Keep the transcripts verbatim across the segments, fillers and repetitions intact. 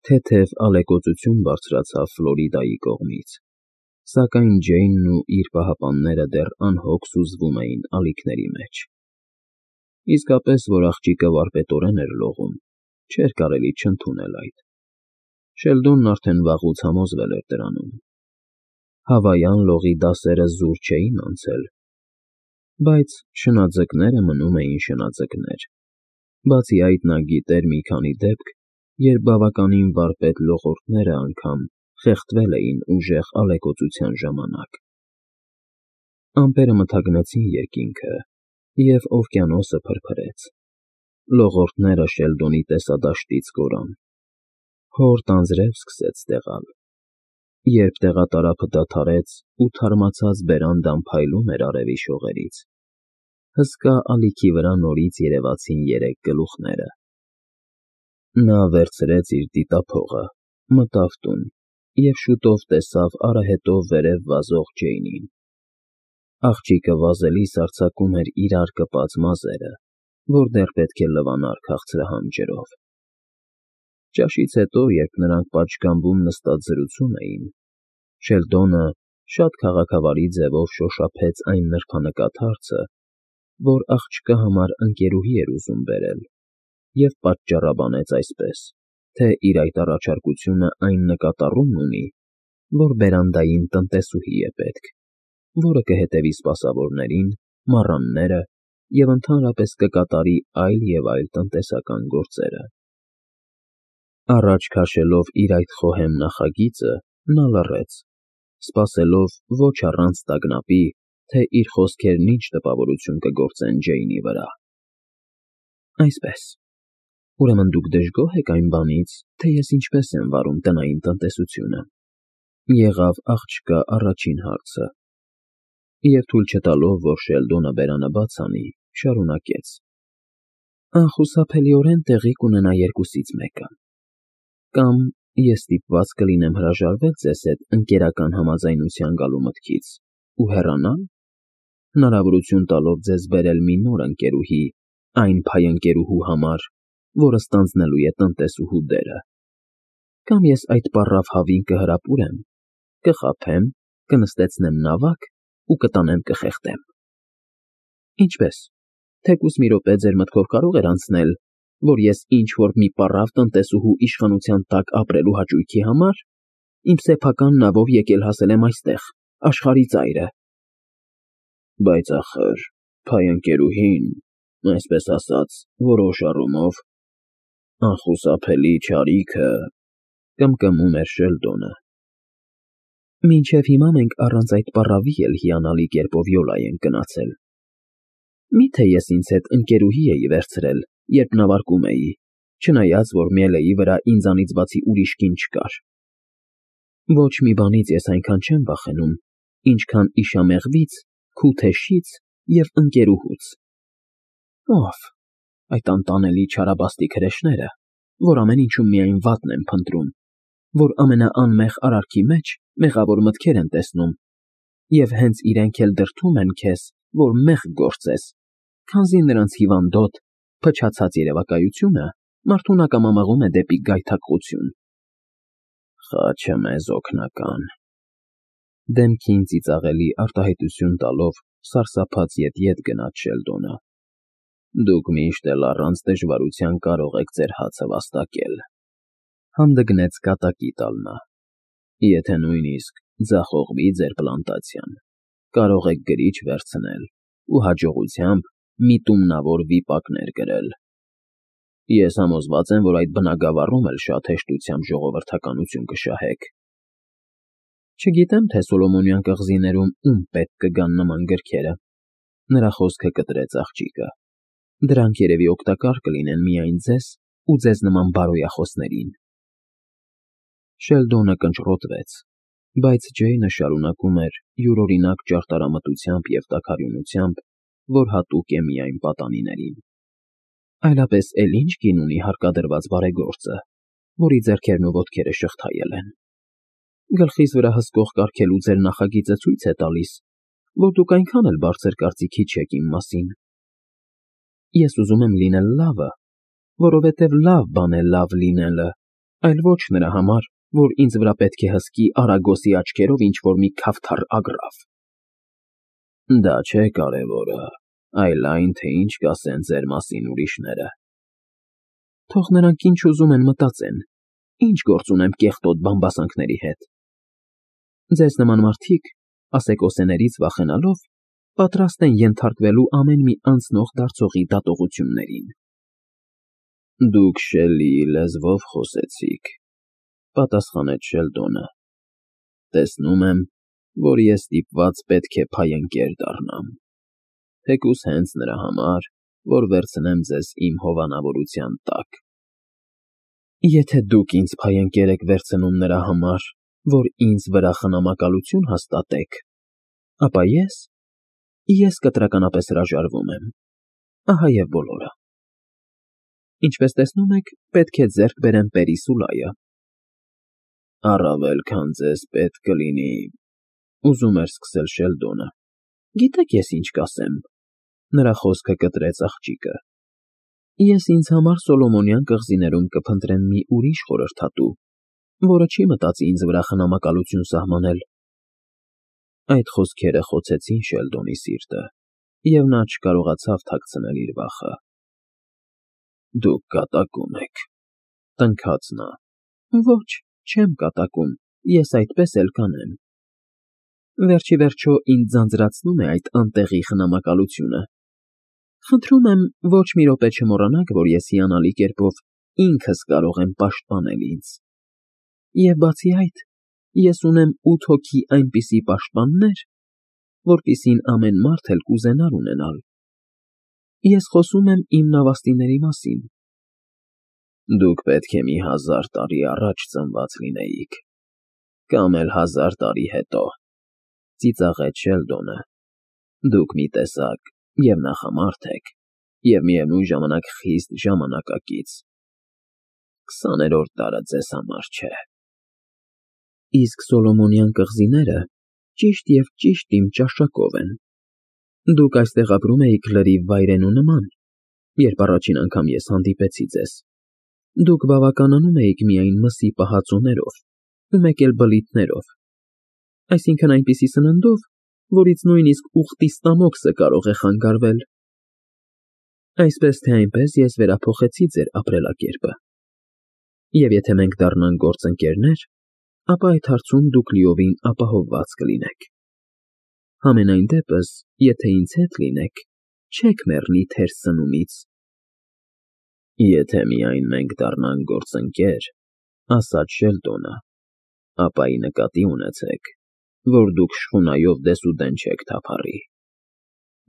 Թեթև ալեկոծություն բարձրացավ Ֆլորիդայի կողմից, սակայն Ջեյնն ու իր պահապանները դեռ անհոգ սուզվում էին ալիքների մեջ։ Իսկապես, որ աղջիկը վարպետորեն էր լողում, չէր կարելի չընդունել այդ։ Շելդոնն արդեն վաղուց համոզվել էր դրանում։ Հավայան լողի դասերը զուր չէին անցել, բայց շնաձկները մնում էին շնաձկներ, բացի այդ նա գիտեր մի քանի դեպք, երբ բավականին վարպետ լողորդները անգամ խեղդվել էին ուժեղ ալեկոծության ժամանակ։ Ամպերը մթագնեցին երկինքը, և օվկիանոսը փրփրեց։ Լողորդները Շելդոնի տեսադաշտից կորան։ Հորդ անձրև սկսեց տեղալ։ Երբ տեղատարափը դադարեց ու թարմացած բերանդան փայլում էր արևի շողերից, հսկա ալիքի վրա նորից երևացին երեք գլուխները։ Նա վերցրեց իր դիտափողը, մտավ տուն և շուտով տեսավ արահետով վերև վազող Ջեյնին։ Աղջիկը վազելիս արձակում էր իրար կպած մազերը, որ դեռ պետք է լվանար քաղցրահամ ջրով։ Ճաշից հետո, երբ նրանք պատշգամբում նստած զրուցում էին, Շելդոնը շատ քաղաքավարի ձևով շոշափեց այն նրբանկատ հարցը, որ աղջկա համար ընկերուհի էր ուզում բերել, և պատճառաբանեց այսպես, թե իր այդ առաջարկությունը այն նկատառումն ունի, որ բերանդային տնտեսուհի է պետք, որը կհետևի սպասավորներին, մառանները և ընդհանրապես կկատարի այլ և այլ տնտեսական գործերը։ Առաջ քաշելով իր այդ խոհեմ նախագիծը, նա լռեց, սպասելով ոչ առանց տագնապի, թե իր խոսքերն ինչ տպավորություն կգործեն Ջեյնի վրա։ Այսպես, ուրեմն դուք դժգոհ եք այն բանից, թե ես ինչպես եմ վարում տնային տնտեսությունը, եղավ աղջկա առաջին հարցը, և թույլ չտալով, որ Շելդոնը բերանը բաց անի, շարունակեց. Անխուսափելիորեն տեղի կունենա երկուսից մեկը. կամ ես ստիպված կլինեմ հրաժարվել ձեզ հետ ընկերական համաձայնության գալու մտքից ու հեռանալ, հնարավորություն տալով ձեզ բերել մի նոր ընկերուհի այն փայընկերուհու համար, որը ստանձնելու է տնտեսուհու դերը, կամ ես այդ պառավ հավին կհրապուրեմ, կխաբեմ, կնստեցնեմ նավակ ու կտանեմ կխեղդեմ։ Ինչպե՞ս, թեկուզ մի րոպե ձեր մտքով կարո՞ղ էր անցնել, որ ես ինչ-որ մի պառավ տնտեսուհու իշխանության տակ ապրելու հաճույքի համար իմ սեփական նավով եկել հասել եմ այստեղ, աշխարհի ծայրը։ Բայց ախր փայընկերուհին, այսպես ասած, որոշ առումով անխուսափելի չարիքը, կմկմում էր Շելդոնը։ Մինչև հիմա մենք առանց այդ պառավի էլ հիանալի կերպով յոլա ենք գնացել։ Մի՞թե ես ինձ հետ ընկերուհի էի վերցրել, երբ նավարկում էի, չնայած, որ միելեի վրա ինձանից բացի ուրիշ կին չկար։ Ոչ մի բանից ես այնքան չեմ վախենում, ինչքան իշամեղվից, քութեշից և ընկերուհուց։ Ով, այդ անտանելի չարաբաստիկ հրեշները, որ ամեն ինչում միայն վատն են փնտրում, որ ամենաանմեղ արարքի մեջ մեղավոր մտքեր են տեսնում, և հենց իրենք էլ դրդում են քեզ, որ մեղք գործես, քանզի նրանց հիվանդոտ, փչացած երևակայությունը մարդուն ակամամղում է դեպի գայթակղություն։ Խաչը մեզ օգնական… Դեմքին ծիծաղելի արտահայտություն տալով սարսափած ետ֊ետ գնաց Շելդոնը։ Դուք միշտ էլ առանց դժվարության կարող եք ձեր հացը վաստակել, հանդգնեց կատակի տալ նա։ Եթե նույնիսկ ձախողվի ձեր պլանտացիան, կարող եք գրիչ վերցնել ու հաջողությամբ միտումնավոր վիպակներ գրել։ Ես համոզված եմ, որ այդ բնագավառում էլ շատ հեշտությամբ ժողովրդականություն կշահեք։ Չգիտեմ, թե Սոլոմոնյան կղզիներում ում պետք կգան նման գրքերը, նրա խոսքը կտրեց աղջիկը։ Դրանք երևի օգտակար կլինեն միայն ձեզ ու ձեզ նման բարոյախոսներին։ Շելդոնը կնճռոտվեց, բայց Ջեյնը շարունակում էր յուրօրինակ ճարտարամտությամբ և տաքարյունությամբ, որ հատուկ է միայն պատանիներին։ Այլապես էլ ի՞նչ կին ունի հարկադրված բարեգործը, որի ձեռքերն ու ոտքերը շղթայել են։ Գլխիս վրա հսկող կարգելու ձեր նախագիծը ցույց է տալիս, որ դուք այնքան էլ բարձր կարծիքի չեք իմ մասին։ Ես ուզում եմ լինել լավը, որովհետև լավ բան է լավ լինելը, այլ ոչ նրա համար, որ ինձ վրա պետք է հսկի Արագոսի աչքերով ինչ-որ մի քավթար ագռավ։ Դա չէ կարևորը, այլ այն, թե ինչ կասեն ձեր մասին ուրիշները։ Թող նրանք ինչ ուզում են մտածեն, ինչ գործ ունեմ կեղտոտ բամբասանքների հետ։ Ձեզ նման մարդիկ, ասեկոսեներից վախենալով, պատրաստ են ենթարկվելու ամեն մի անցնող դարձողի դատողություններին։ Դուք Շելլիի լեզվով խոսեցիք, պատասխանեց Շելդոնը։ Տեսնում եմ, որ ես ստիպված պետք է փայընկեր դառնամ, թեկուզ հենց նրա համար, որ վերցնեմ ձեզ իմ հովանավորության տակ։ Եթե դուք ինձ փայընկեր եք վերցնում նրա համար, որ ինձ վրա խնամակալություն հաստատեք, ապա ես, ես կտրականապես հրաժարվում եմ, ահա և բոլորը։ Ինչպես տեսնում եք, պետք է ձեռք բերեմ Պերիսուլայը։ Առավել քան ձեզ պետք կլինի, ուզում էր սկսել Շելդոնը։ Գիտեք ես ինչ կասեմ, նրա խոսքը կտրեց աղջիկը։ Ես ինձ համար Սոլոմոնյան կղզիներում կփնտրեմ մի ուրիշ խորհրդատու, որը չի մտածի ինձ վրա խնամակալություն սահմանել։ Այդ խոսքերը խոցեցին Շելդոնի սիրտը, և նա չկարողացավ թաքցնել իր վախը։ Դուք կատակում եք, տնքաց նա։ Ոչ, չեմ կատակում, ես այդպես էլ կանեմ։ Վերջ ի վերջո ինձ ձանձրացնում է այդ անտեղի խնամակալությունը։ Խնդրում եմ, ոչ մի րոպե չմոռանաք, որ ես հիանալի կերպով ինքս կարող եմ պաշտպանել ինձ։ Եվ բացի այդ, ես ունեմ ութ հոգի այնպիսի պաշտպաններ, որպիսին ամեն մարդ էլ կուզենար ունենալ։ Ես խոսում եմ իմ նավաստիների մասին։ Դուք պետք է մի հազար տարի առաջ ծնված լինեիք, կամ էլ հազար տարի հետո, ծիծաղեց Շելդոնը։ Դուք մի տեսակ և նախամարդ եք, և միևնույն ժամանակ խիստ ժամանակակից։ Քսաներորդ դարը ձեզ համար չէ։ Իսկ Սոլոմոնյան կղզիները ճիշտ և ճիշտ իմ ճաշակով են։ Դուք այստեղ ապրում էիք լրիվ վայրենու նման, երբ առաջին անգամ ես հանդիպեցի ձեզ։ Դուք բավականանում էիք միայն մսի պահածոներով ու մեկ էլ բլիթներով, այսինքն այնպիսի սննդով, որից նույնիսկ ուղտի ստամոքսը կարող է խանգարվել։ Այսպես թե այնպես ես վերափոխեցի ձեր ապրելակերպը։ Եվ եթե մենք դառնանք գործընկերներ, ապա այդ հարցում դուք լիովին ապահովված կլինեք։ Համենայն դեպս, եթե ինձ հետ լինեք, չեք մեռնի թեր սնումից։ Եթե միայն մենք դառնանք գործընկեր, ասաց Շելդոնը, ապա ի նկատի ունեցեք, որ դուք շխունայով դեսուդեն չեք թափառի։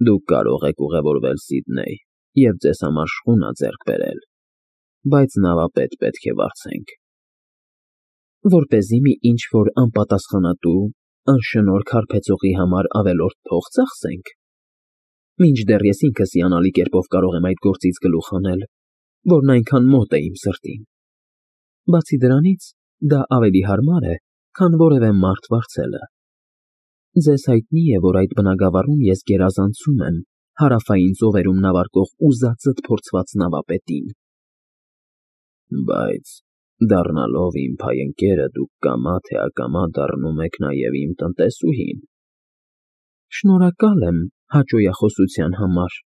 Դուք կարող եք ուղևորվել Սիդնեյ և ձեզ համար շխունա ձեռք բերել, բայց նավապետ պետք է վարձենք։ Որպեսզի մի ինչ-որ անպատասխանատու, անշնորհք հարբեցողի համար ավելորդ փող ծախսենք։ Մինչդեռ ես ինքս հիանալի կերպով կարող եմ այդ գործից գլուխ հանել, որն այնքան մոտ է իմ սրտին։ Բացի դրանից, դա ավելի հարմար է, քան որևէ մարդ վարձելը։ Ձեզ հայտնի է, որ այդ բնագավառում ես գերազանցում եմ հարավային ծովերում նավարկող ուզածդ փորձված նավապետին։ Բայց դառնալով իմ փայընկերը, դուք կամա թե ակամա դառնում եք նաև իմ տնտեսուհին։ Շնորհակալ եմ հաճոյախոսության համար։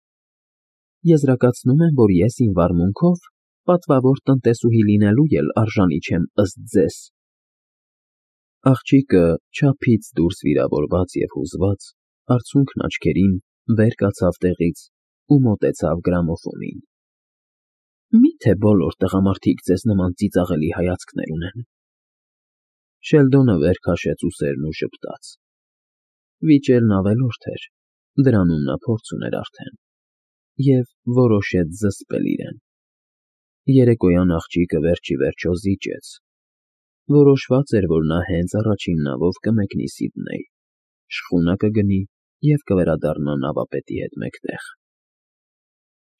Եզրակացնում եմ, որ ես իմ վարմունքով պատվավոր տնտեսուհի լինելու էլ արժանի չեմ ըստ ձեզ։ Աղջիկը, չափից դուրս վիրավորված և հուզված, արցունքն աչքերին, վեր կացավ տեղից ու մոտեցավ գրամոֆոնին։ Մի՞թե բոլոր տղամարդիկ ձեզ նման ծիծաղելի հայացքներ ունեն։ Շելդոնը վեր քաշեց ուսերն ու ժպտաց։ Վիճելն ավելորդ էր, դրանում նա փորձ ուներ արդեն, և որոշեց զսպել իրեն։ Երեկոյան աղջիկը վերջ ի վերջո զիջեց։ Որոշված էր, որ նա հենց առաջին նավով կմեկնի Սիդնեյ, շխունա կգնի և կվերադառնա նավապետի հետ մեկտեղ։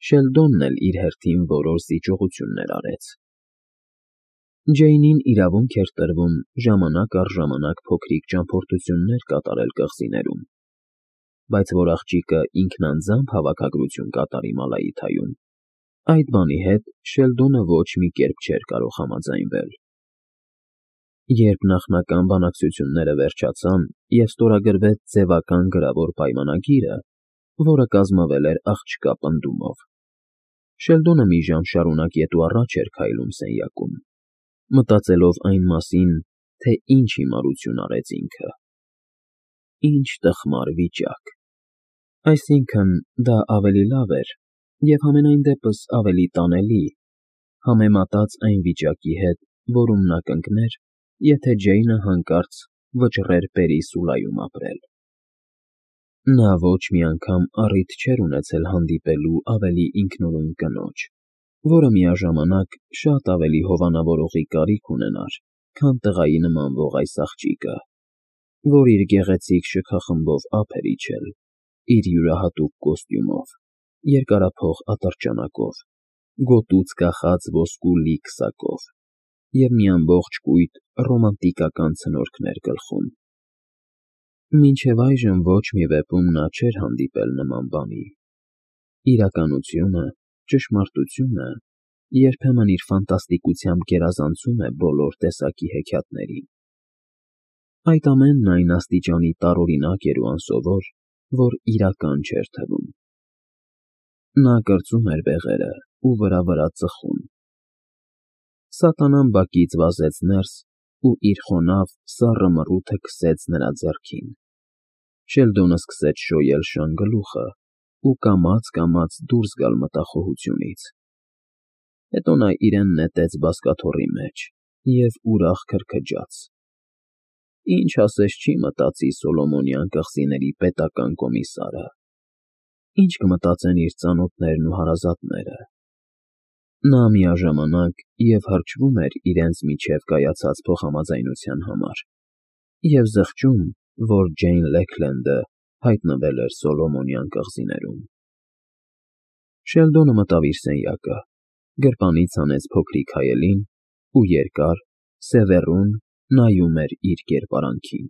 Շելդոնն էլ իր հերթին որոշ զիջողություններ արեց։ Ջեյնին իրավունք էր տրվում ժամանակ առ ժամանակ փոքրիկ ճամփորդություններ կատարել կղզիներում, բայց որ աղջիկը ինքնանձամբ հավաքագրություն կատարի Մալայիթայում, այդ բանի հետ Շելդոնը ոչ մի կերպ չէր կարող համաձայնվել։ Երբ նախնական բանակցությունները վերջացան և ստորագրվեց ձևական գրավոր պայմանագիրը, որը կազմվել էր աղջկա պնդումով, Շելդոնը մի ժամ շարունակ ետ ու առաջ էր քայլում սենյակում, մտածելով այն մասին, թե ինչ հիմարություն արեց ինքը։ Ինչ տխմար վիճակ։ Այսինքն՝ դա ավելի լավ էր և համենայն դեպս ավելի տանելի, համեմատած այն վիճակի հետ, որում նա կընկներ, եթե Ջեյնը հանկարծ վճռեր Պերի Սուլայում ապրել։ Նա ոչ մի անգամ առիթ չէր ունեցել հանդիպելու ավելի ինքնուրույն կնոջ, որը միաժամանակ շատ ավելի հովանավորողի կարիք ունենար, քան տղայի նմանվող այս աղջիկը, որ իր գեղեցիկ շքախմբով ափ էր իջել, իր յուրահատուկ կոստյումով, երկարափող ատրճանակով, գոտուց կախած ոսկու լիք սակով և մի ամբողջ կույտ ռոմանտիկական ցնորքներ գլխում։ Մինչև այժմ ոչ մի վեպում նա չէր հանդիպել նման բանի։ Իրականությունը, ճշմարտությունը երբեմն իր ֆանտաստիկությամբ գերազանցում է բոլոր տեսակի հեքիաթներին։ Այդ ամենն այն աստիճանի տարօրինակ էր ու անսովոր, որ իրական չէր թվում։ Նա կրծում էր բեղերը ու վրա֊վրա ծխում։ Սատանան բակից վազեց ներս ու իր խոնավ, սառը մռութը քսեց նրա ձեռքին։ Շելդոնը սկսեց շոյել շան գլուխը ու կամաց֊կամաց դուրս գալ մտախոհությունից։ Հետո նա իրեն նետեց բազկաթոռի մեջ և ուրախ քրքջաց. ինչ ասես չի մտածի Սոլոմոնյան կղզիների պետական կոմիսարը, ինչ կմտածեն իր ծանոթներն ու հարազատները։ Նա միաժամանակ և հրճվում էր իրենց միջև կայացած փոխհամաձայնության համար և զղջում, որ Ջեյն Լեքլենդը հայտնվել էր Սոլոմոնյան կղզիներում։ Շելդոնը մտավ իր սենյակը, գրպանից հանեց փոքրիկ հայելին ու երկար, սևեռուն նայում էր իր կերպարանքին։